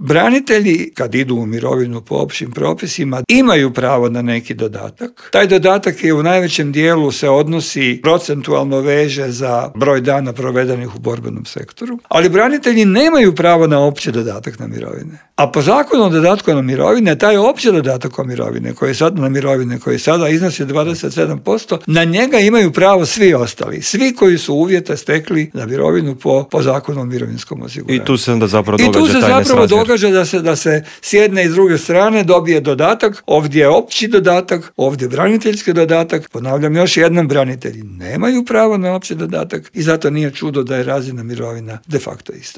Branitelji, kad idu u mirovinu po općim propisima, imaju pravo na neki dodatak. Taj dodatak je u najvećem dijelu se odnosi, procentualno veže za broj dana provedenih u borbenom sektoru, ali branitelji nemaju pravo na opći dodatak na mirovine. A po zakonu o dodatku na mirovine, taj opći dodatak o mirovine, koji sada iznosi 27%, na njega imaju pravo svi ostali, svi koji su uvjete stekli na mirovinu po zakonu o mirovinskom osiguranju. I tu se onda zapravo događa da se s jedne i s druge strane dobije dodatak, ovdje je opći dodatak, ovdje je braniteljski dodatak. Ponavljam još jednom, branitelji nemaju pravo na opći dodatak i zato nije čudo da je razina mirovina de facto ista.